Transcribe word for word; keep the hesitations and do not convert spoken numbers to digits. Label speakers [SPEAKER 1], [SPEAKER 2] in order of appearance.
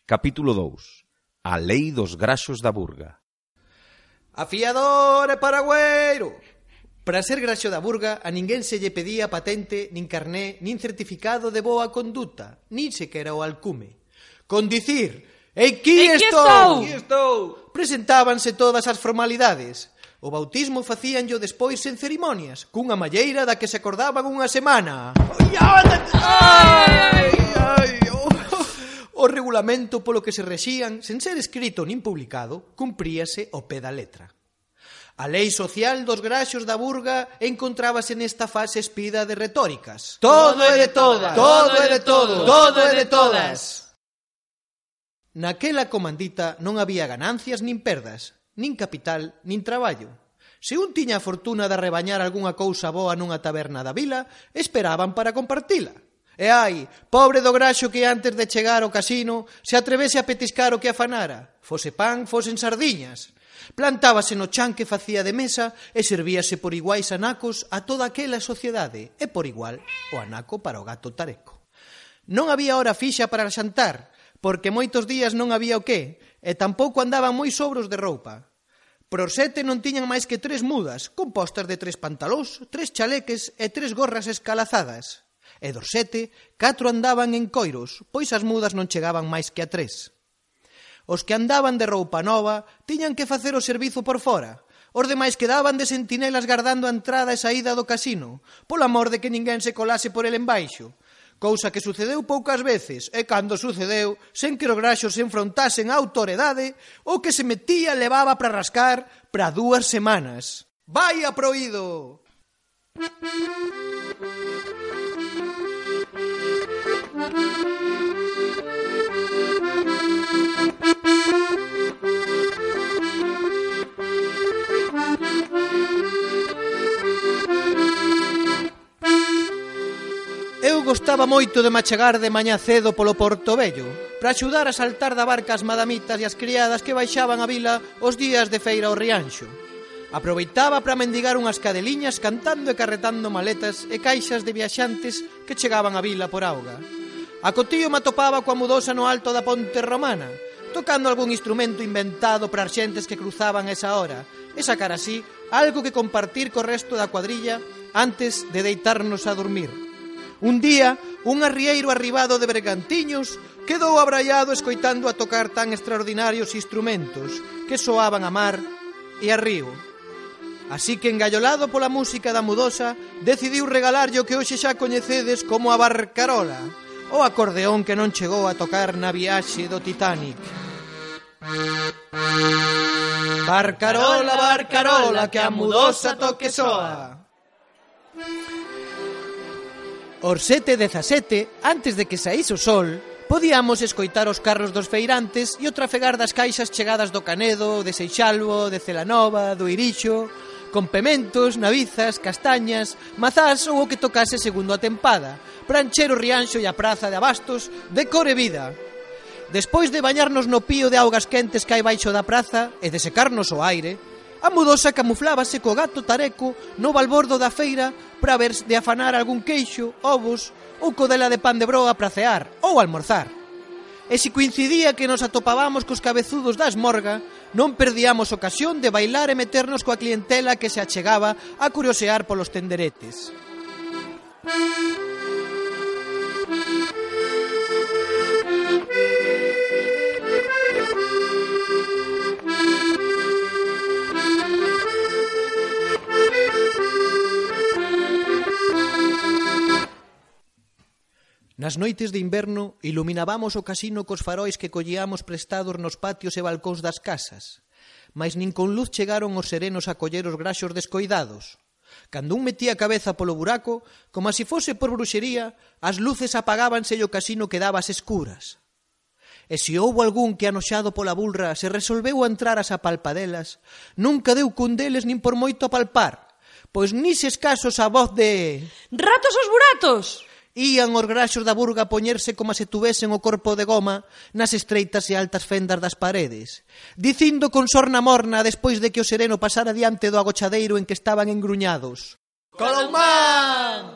[SPEAKER 1] Capítulo dous. A lei dos graxos da Burga.
[SPEAKER 2] Afiador e paragüeiro. Para ser graxo da Burga a ninguén se lle pedía patente, nin carné, nin certificado de boa conduta, nin sequera o alcume. Con dicir, aquí estou!
[SPEAKER 3] Aquí estou!
[SPEAKER 2] Presentábanse todas as formalidades. O bautismo facíanllo despois en cerimonias, cunha malleira da que se acordaban unha semana. Ai, ai, oh. O regulamento polo que se rexían, sen ser escrito nin publicado, cumpríase ao pé da letra. A lei social dos graxos da Burga encontrábase nesta fase espida de retóricas.
[SPEAKER 3] Todo é de todas.
[SPEAKER 2] Todo é de todos.
[SPEAKER 3] Todo é de todas.
[SPEAKER 2] Naquela comandita non había ganancias nin perdas, nin capital, nin traballo. Se un tiña a fortuna de rebañar algunha cousa boa nunha taberna da vila, esperaban para compartila. E ai, pobre do graxo que antes de chegar ao casino se atrevese a petiscar o que afanara, fose pan, fosen sardiñas. Plantábase no chan que facía de mesa e servíase por iguais anacos a toda aquela sociedade e por igual o anaco para o gato tareco. Non había hora fixa para xantar, porque moitos días non había o qué, e tampouco andaban moi sobros de roupa. Por sete non tiñan máis que tres mudas, compostas de tres pantalós, tres chaleques e tres gorras escalazadas. E dos sete, catro andaban en coiros, pois as mudas non chegaban máis que a tres. Os que andaban de roupa nova tiñan que facer o servizo por fora. Os demais quedaban de sentinelas gardando a entrada e saída do casino, polo amor de que ninguén se colase por el embaixo. Cousa que sucedeu poucas veces, e cando sucedeu, sen que os graxos se enfrontasen á autoridade, o que se metía levaba para rascar para dúas semanas. Vaia proído! Eu gostaba moito de machegar de mañá cedo polo Porto Vello para axudar a saltar da barca as madamitas e as criadas que baixaban a vila os días de feira ao Rianxo. Aproveitaba para mendigar unhas cadeliñas cantando e carretando maletas e caixas de viaxantes que chegaban a vila por auga. A cotío me atopaba coa mudosa no alto da Ponte Romana, tocando algún instrumento inventado para as xentes que cruzaban esa hora e sacar así algo que compartir co resto da cuadrilla antes de deitarnos a dormir. Un día, un arrieiro arribado de bergantiños quedou abraiado escoitando a tocar tan extraordinarios instrumentos que soaban a mar e a río. Así que, engallolado pola música da mudosa, decidiu regalarlle o que hoxe xa coñecedes como a barcarola, o acordeón que non chegou a tocar na viaxe do Titanic. Barcarola, barcarola, que a mudosa toque soa. Os sete e dezasete, antes de que saíse o sol, podíamos escoitar os carros dos feirantes e o trafegar das caixas chegadas do Canedo, de Seixalvo, de Celanova, do Irixo, con pementos, navizas, castañas, mazás ou o que tocase segundo a tempada, para encher o Rianxo e a praza de abastos de cor e vida. Despois de bañarnos no pío de augas quentes que hai baixo da praza e de secarnos o aire, a mudosa camuflábase co gato tareco no balbordo da feira para ver de afanar algún queixo, ovos ou codela de pan de broa para cear ou almorzar. E se coincidía que nos atopábamos cos cabezudos da esmorga, non perdíamos ocasión de bailar e meternos coa clientela que se achegaba a curiosear polos tenderetes. Nas noites de inverno iluminábamos o casino cos farois que collíamos prestados nos patios e balcóns das casas, mais nin con luz chegaron os serenos a coller os graxos descoidados. Cando un metía a cabeza polo buraco, como se fose por bruxería, as luces apagábanse e o casino quedaba ás escuras. E se houbo algún que anoxado pola bulra se resolveu a entrar ás apalpadelas, nunca deu cun deles nin por moito apalpar, pois nises casos a voz de...
[SPEAKER 3] Ratos os buratos!
[SPEAKER 2] Ían os graxos da Burga a poñerse como se tuvesen o corpo de goma nas estreitas e altas fendas das paredes, dicindo con sorna morna despois de que o sereno pasara diante do agochadeiro en que estaban engruñados: Colomán!